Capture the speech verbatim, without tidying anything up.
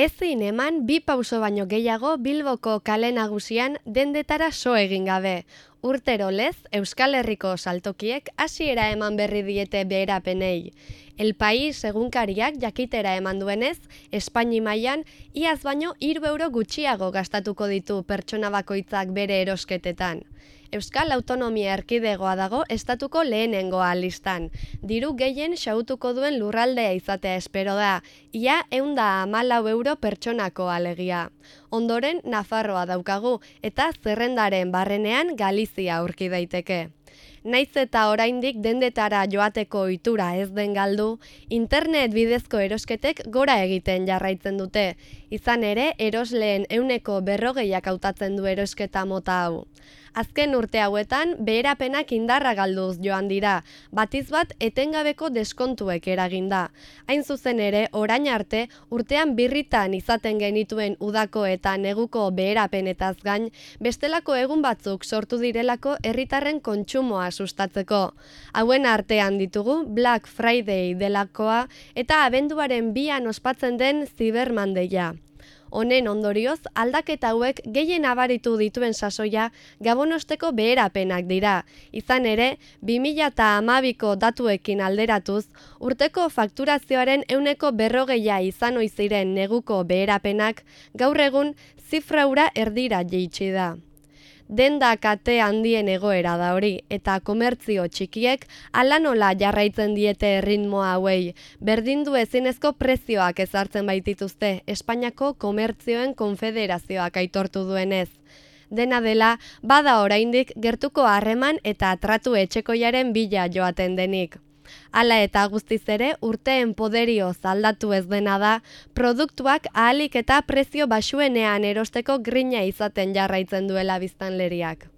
Ezin eman bi pauso baino gehiago Bilboko kale nagusian dendetara so egin gabe. Urtero lez, Euskal Herriko saltokiek hasiera eman berri diete beherapenei. El País egunkariak jakitera eman duenez, Espaini mailan iaz baino hiru euro gutxiago gastatuko ditu pertsona bakoitzak bere erosketetan. Euskal Autonomia Erkidegoa dago estatuko lehenengoa listan. Diru gehien xahutuko duen lurraldea izatea espero da, ia ehun eta hamalau euro pertsonako alegia. Ondoren Nafarroa daukagu eta zerrendaren barrenean Galizia aurki daiteke. Naiz eta oraindik dendetara joateko ohitura ez den galdu, internet bidezko erosketek gora egiten jarraitzen dute. Izan ere, erosleen ehuneko berrogeiak hautatzen du erosketa mota hau. Azken urte hauetan, beherapenak indarra galduz joan dira, batiz bat etengabeko deskontuek eraginda. Hain zuzen ere, orain arte, urtean birritan izaten genituen udako eta neguko beherapenetaz gain, bestelako egun batzuk sortu direlako herritarren kontsumoa sustatzeko. Hauen artean ditugu Black Friday delakoa eta abenduaren bian ospatzen den Cyber Monday-a. Honen ondorioz, aldaketa hauek gehien abaritu dituen sasoia gabonosteko beherapenak dira. Izan ere, bi mila hamabiko datuekin alderatuz, urteko fakturazioaren ehuneko berrogeia izan ohi ziren neguko beherapenak, gaur egun zifra hura erdira jaitsi da. Denda kate handien egoera da hori, eta komertzio txikiek hala nola jarraitzen diete erritmoa hauei. Berdindu ezinezko prezioak ezartzen baitituzte, Espainiako Komertzioen Konfederazioak aitortu duenez. Dena dela, bada oraindik gertuko harreman eta tratu etxekoiaren bila joaten denik. Hala eta guztiz ere, urteen poderioz aldatu ez dena da, produktuak ahalik eta prezio baxuenean erosteko grina izaten jarraitzen duela biztanleriak.